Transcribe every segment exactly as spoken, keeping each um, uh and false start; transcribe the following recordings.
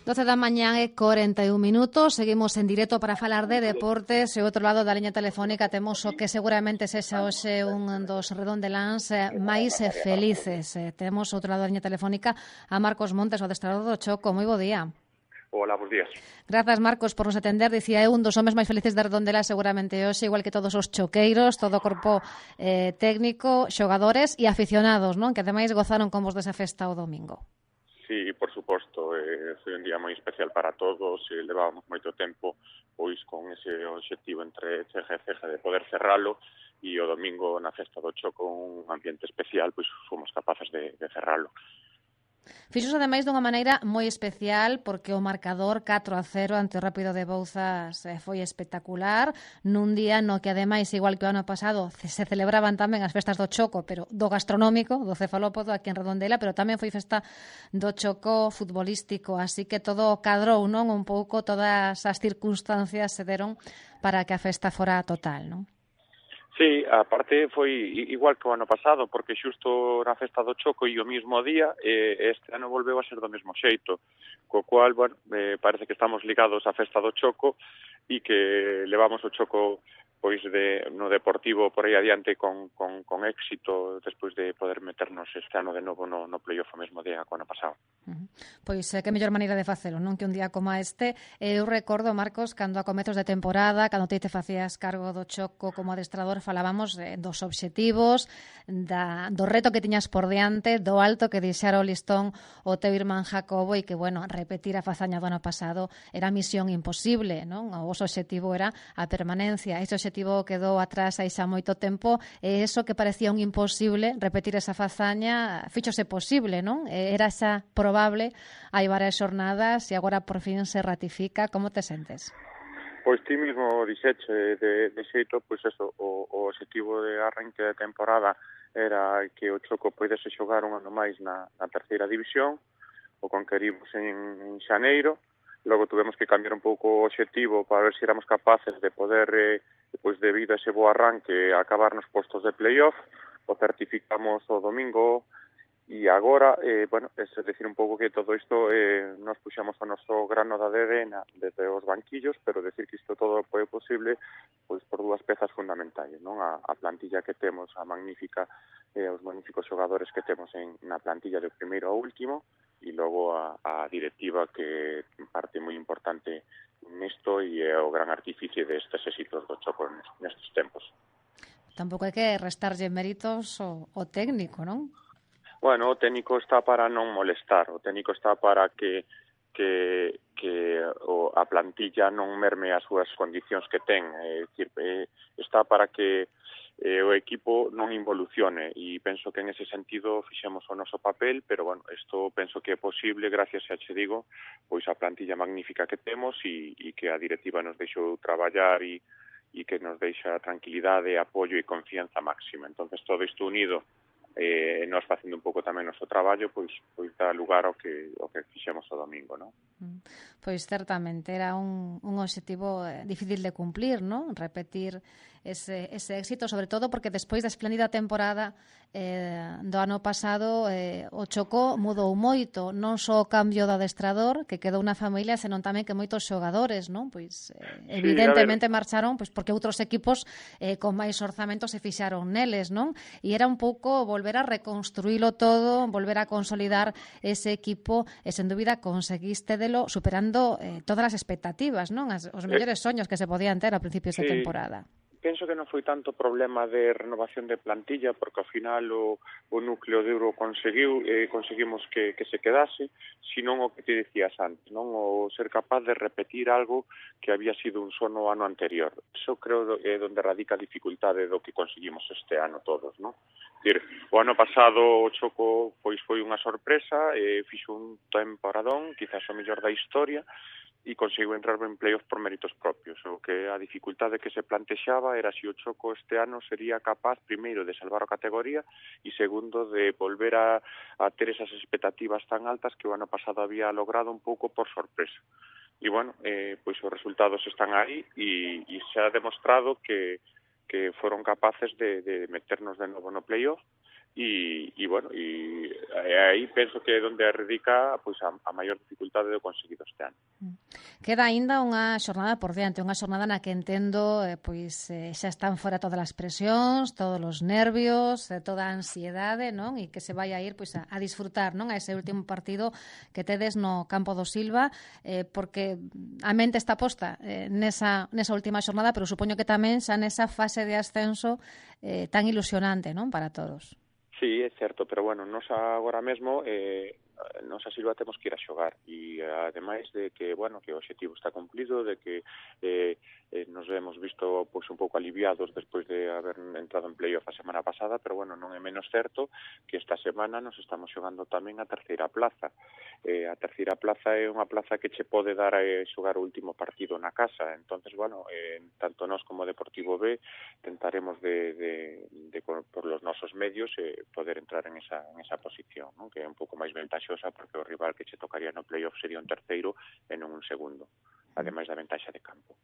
doce da mañá e corenta e un minutos, seguimos en directo para falar de deportes e outro lado da liña telefónica temos o que seguramente sexa hoxe un dos redondeláns máis felices. Temos outro lado da liña telefónica a Marcos Montes, o adestrador do Choco. Moi bo día. Hola, bons días. Grazas, Marcos, por nos atender. Dicía, é un dos homes máis felices de Redondela seguramente hoxe, igual que todos os choqueiros, todo o corpo eh, técnico, xogadores e aficionados, non? Que ademais gozaron con vos desa festa o domingo. Sí, por suposto, eh, foi un día moi especial para todos, e levábamos moito tempo pois con ese obxectivo entre ceja e ceja de poder cerralo, e o domingo na festa do Choco, un ambiente especial, pois fomos capaces de, de cerralo. Fixos ademais dunha maneira moi especial porque o marcador catro a cero ante o Rápido de Bouzas foi espectacular nun día no que ademais, igual que o ano pasado, se celebraban tamén as festas do Choco, pero do gastronómico, do cefalópodo aquí en Redondela, pero tamén foi festa do Choco futbolístico, así que todo cadrou, non? Un pouco todas as circunstancias se deron para que a festa fora total, non? Sí, a parte foi igual que o ano pasado, porque xusto na festa do Choco e o mismo día, eh, este ano volveu a ser do mesmo xeito, co cual, bueno, eh, parece que estamos ligados á festa do Choco e que levamos o Choco pois de, no deportivo por aí adiante con, con, con éxito despois de poder meternos este ano de novo no, no playoff o mesmo día que o ano pasado. Uh-huh. Pois eh, que mellor maneira de facelo, non? Que un día como este, eh, eu recordo, Marcos, cando a comezos de temporada, cando te te facías cargo do Choco como adestrador, falábamos eh, dos obxectivos, da, do reto que tiñas por diante, do alto que deixara o listón o teu irmán Jacobo e que, bueno, repetir a fazaña do ano pasado era misión imposible, non? O vosso obxectivo era a permanencia. Ese obxectivo quedou atrás aí xa moito tempo e eso que parecía un imposible, repetir esa fazaña, fíxose posible, non? Era xa probable hai varias xornadas e agora por fin se ratifica. Como te sentes? Pois ti mismo dixeche de, de xeito, pois eso, o, o objetivo de arranque de temporada era que o Choco poidese xogar un ano máis na, na terceira división, o conquerimos en, en xaneiro, logo tuvemos que cambiar un pouco o objetivo para ver se éramos capaces de poder, eh, pois debido a ese bo arranque, acabar nos postos de playoff, o certificamos o domingo. E agora, eh, bueno, é decir un pouco que todo isto eh, nos puxamos o noso grano de arena desde os banquillos, pero decir que isto todo foi posible pois por dúas pezas fundamentais, non? A, a plantilla que temos, a magnífica, eh, os magníficos xogadores que temos en, na plantilla de primeiro ao último, e logo a, a directiva que parte moi importante nisto e é o gran artífice destes éxitos do Choco nestes tempos. Tampouco hai que restarlle méritos ao, ao técnico, non? Bueno, o técnico está para non molestar, o técnico está para que que, que o, a plantilla non merme as súas condicións que ten, é dicir, eh, está para que eh, o equipo non involucione, e penso que en ese sentido fixemos o noso papel, pero bueno, isto penso que é posible gracias a, che digo, pois a plantilla magnífica que temos e, e que a directiva nos deixou traballar e, e que nos deixa tranquilidade, apoio e confianza máxima. Entonces todo isto unido eh, nós facendo un pouco tamén o noso traballo, pois pois dá lugar ao que ao que fixemos o domingo, non? Pois certamente era un, un obxectivo difícil de cumplir, non? Repetir ese, ese éxito, sobre todo porque despois da espléndida temporada eh, do ano pasado eh, o Choco mudou moito, non só o cambio do adestrador que quedou na familia, senón tamén que moitos xogadores, non? Pois eh, evidentemente sí, marcharon pois porque outros equipos eh, con máis orzamentos se fixaron neles, non? E era un pouco volver a reconstruílo todo, volver a consolidar ese equipo e sen dúbida conseguiste delo superando eh, todas as expectativas, non? As, os mellores soños que se podían ter a principios sí. de temporada. Penso que non foi tanto problema de renovación de plantilla, porque ao final o, o núcleo duro conseguiu, eh, conseguimos que, que se quedase, senón o que te dicías antes, non? O ser capaz de repetir algo que había sido un sono ano anterior. Eso creo é onde radica a dificultade do que conseguimos este ano todos, non? Dir, o ano pasado o Choco pois foi unha sorpresa, eh, fixo un temporadón, quizás o mellor da historia, e conseguiu entrar en playoff por méritos propios. O que a dificultade que se plantexaba era se o Choco este ano sería capaz, primeiro, de salvar a categoría e, segundo, de volver a, a ter esas expectativas tan altas que o ano pasado había logrado un pouco por sorpresa. E, bueno, eh, pois os resultados están aí e, e se ha demostrado que, que foron capaces de, de meternos de novo no playoff. e, e bueno, e aí penso que é onde radica pois, a, a maior dificultade do conseguido este ano. Queda aínda unha xornada por diante, unha xornada na que entendo eh, pois eh, xa están fora todas as presións, todos os nervios, eh, toda a ansiedade, non? E que se vai a ir pois a, a disfrutar, non? A ese último partido que tedes no campo do Silva, eh, porque a mente está posta eh, nesa, nesa última xornada, pero supoño que tamén xa nesa fase de ascenso eh, tan ilusionante, non? Para todos. Sí, é certo, pero bueno, nos agora mesmo eh, nos a Silva temos que ir a xogar e ademais de que, bueno, que o objetivo está cumplido, de que eh, eh, nos hemos visto pois un pouco aliviados despois de haber entrado en playoff a semana pasada, pero bueno, non é menos certo que esta semana nos estamos xogando tamén a terceira plaza. Eh, a terceira plaza é unha plaza que che pode dar a xogar o último partido na casa, entonces, bueno, eh, tanto nós como Deportivo B tentaremos de, de, de por los nosos medios eh, poder entrar en esa, en esa posición, ¿no? Que é un pouco máis ventaxosa porque o rival que che tocaría no playoff sería un terceiro e non un segundo, ademais da ventaxa de campo.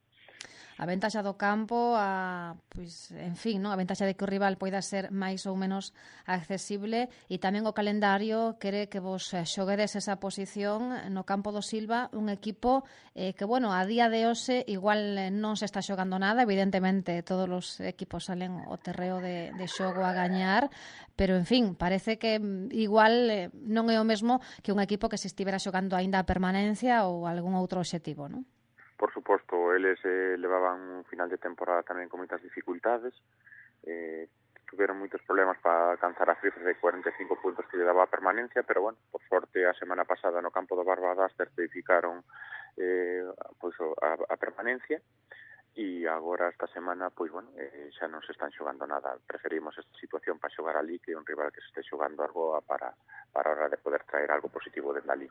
A ventaxa do campo, a, pois, en fin, non? A ventaxa de que o rival poida ser máis ou menos accesible e tamén o calendario quere que vos xoguedes esa posición no campo do Silva, un equipo eh, que, bueno, a día de hoxe igual non se está xogando nada, evidentemente todos os equipos salen ao terreo de, de xogo a gañar, pero, en fin, parece que igual eh, non é o mesmo que un equipo que se estivera xogando aínda a permanencia ou algún outro obxectivo, non? Por suposto, eles eh, levaban un final de temporada tamén con moitas dificultades, eh, tuveron moitos problemas para alcanzar a cifra de cuarenta e cinco puntos que lle daba a permanencia, pero bueno, por sorte a semana pasada no campo do Barbadas certificaron eh, pois, a, a permanencia e agora esta semana, pois bueno, eh, xa non se están xogando nada. Preferimos esta situación para xogar ali que un rival que se este xogando algo para, para a hora de poder traer algo positivo dende ali.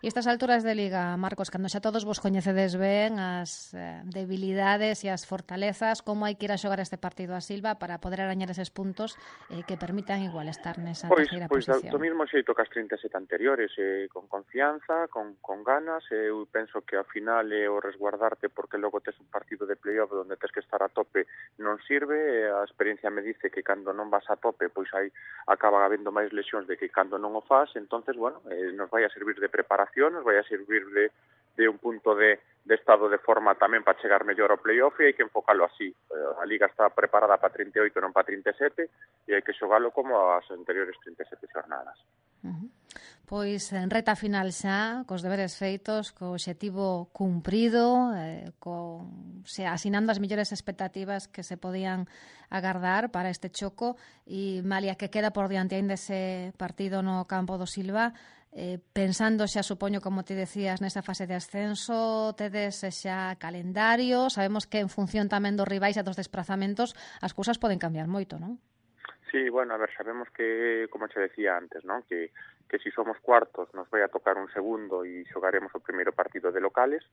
E estas alturas de Liga, Marcos, cando xa todos vos coñecedes ben as eh, debilidades e as fortalezas, como hai que ir a xogar este partido a Silva para poder arañar eses puntos eh, que permitan igual estar nesa pois, terceira pois, posición? Pois do mesmo xeito que as trinta e sete anteriores, eh, con confianza, con, con ganas, eh, eu penso que ao final é eh, o resguardarte porque logo tes un partido de playoff onde tes que estar a tope non sirve, eh, a experiencia me dice que cando non vas a tope, pois aí acaba habendo máis lesións de que cando non o faz, entonces, bueno, eh, nos vai a servir de preparación, nos vai a servir de, de un punto de, de estado de forma tamén para chegar mellor ao playoff e hai que enfocalo así. A Liga está preparada para trinta e oito, non para trinta e sete e hai que xogalo como as anteriores trinta e sete xornadas. Uh-huh. Pois en reta final xa, cos deberes feitos, co obxectivo cumprido, eh, con, se, asinando as mellores expectativas que se podían agardar para este choco e malia que queda por diante ainda ese partido no campo do Silva, eh, pensando xa, supoño, como te decías, nesa fase de ascenso, tedes xa calendario, sabemos que en función tamén dos rivais e dos desplazamentos as cousas poden cambiar moito, non? Sí, bueno, a ver, sabemos que, como te decía antes, ¿no? que, que si somos cuartos nos vai a tocar un segundo e xogaremos o primeiro partido de locales,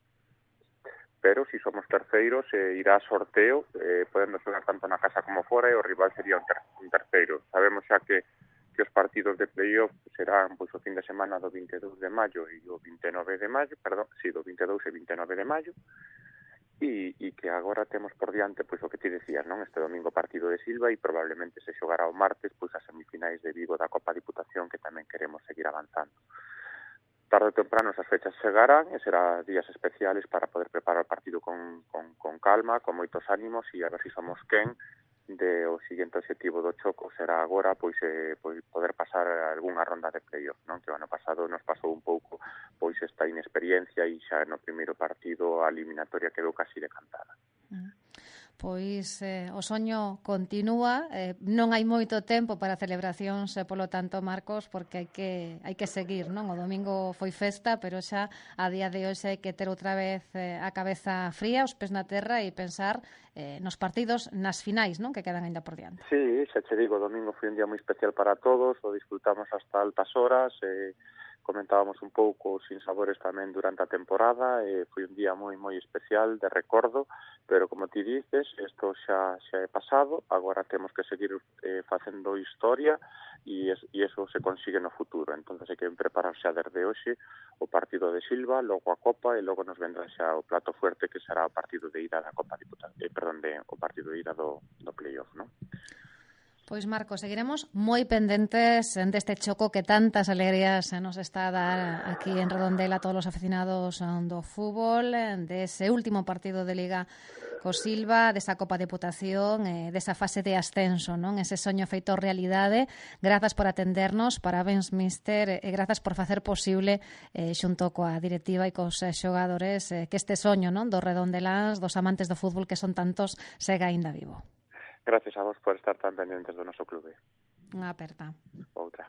pero si somos terceiros eh, irá a sorteo, eh, podendo xogar tanto na casa como fora e o rival sería un, ter un terceiro. Sabemos xa que, que os partidos de playoff serán pois, o fin de semana do vinte e dous de maio e o vinte e nove de maio, perdón, sí, do vinte e dous e vinte e nove de maio, e, e que agora temos por diante pois o que ti decías, non? Este domingo partido de Silva e probablemente se xogará o martes pois as semifinais de Vigo da Copa Diputación que tamén queremos seguir avanzando. Tarde ou temprano esas fechas chegarán e será días especiales para poder preparar o partido con, con, con calma, con moitos ánimos e a ver se si somos quen de o seguinte objetivo do choco será agora pois, eh, pois poder pasar algunha ronda de playoff, non? Que o ano pasado nos pasou un pouco pois esta inexperiencia e xa no primeiro partido a eliminatoria quedou casi decantada. Mm. Pois eh, o soño continúa, eh, non hai moito tempo para celebracións, e polo tanto, Marcos, porque hai que hai que seguir, non? O domingo foi festa, pero xa a día de hoxe hai que ter outra vez eh, a cabeza fría, os pés na terra e pensar eh, nos partidos, nas finais, non? Que quedan aínda por diante. Sí, xa che digo, o domingo foi un día moi especial para todos, o disfrutamos hasta altas horas, eh, comentábamos un pouco os sinsabores tamén durante a temporada, e foi un día moi moi especial de recordo, pero como ti dices, isto xa xa é pasado, agora temos que seguir eh, facendo historia e, es, e eso se consigue no futuro, entonces hai que preparar xa desde hoxe o partido de Silva, logo a Copa e logo nos vendrá xa o plato fuerte que será o partido de ida da Copa Diputación, eh, perdón, de, o partido de ida do, do playoff, non? Pois, Marco, seguiremos moi pendentes deste choco que tantas alegrías nos está a dar aquí en Redondela a todos os aficionados do fútbol, dese último partido de Liga co Silva, desa Copa de Deputación, eh, desa fase de ascenso, non? Ese soño feito realidade. Grazas por atendernos, parabéns, mister, e grazas por facer posible, eh, xunto coa directiva e cos xogadores, eh, que este soño, non, dos redondeláns, dos amantes do fútbol que son tantos, sega aínda vivo. Gracias a vos por estar tan pendientes do noso clube. Unha aperta. Outra.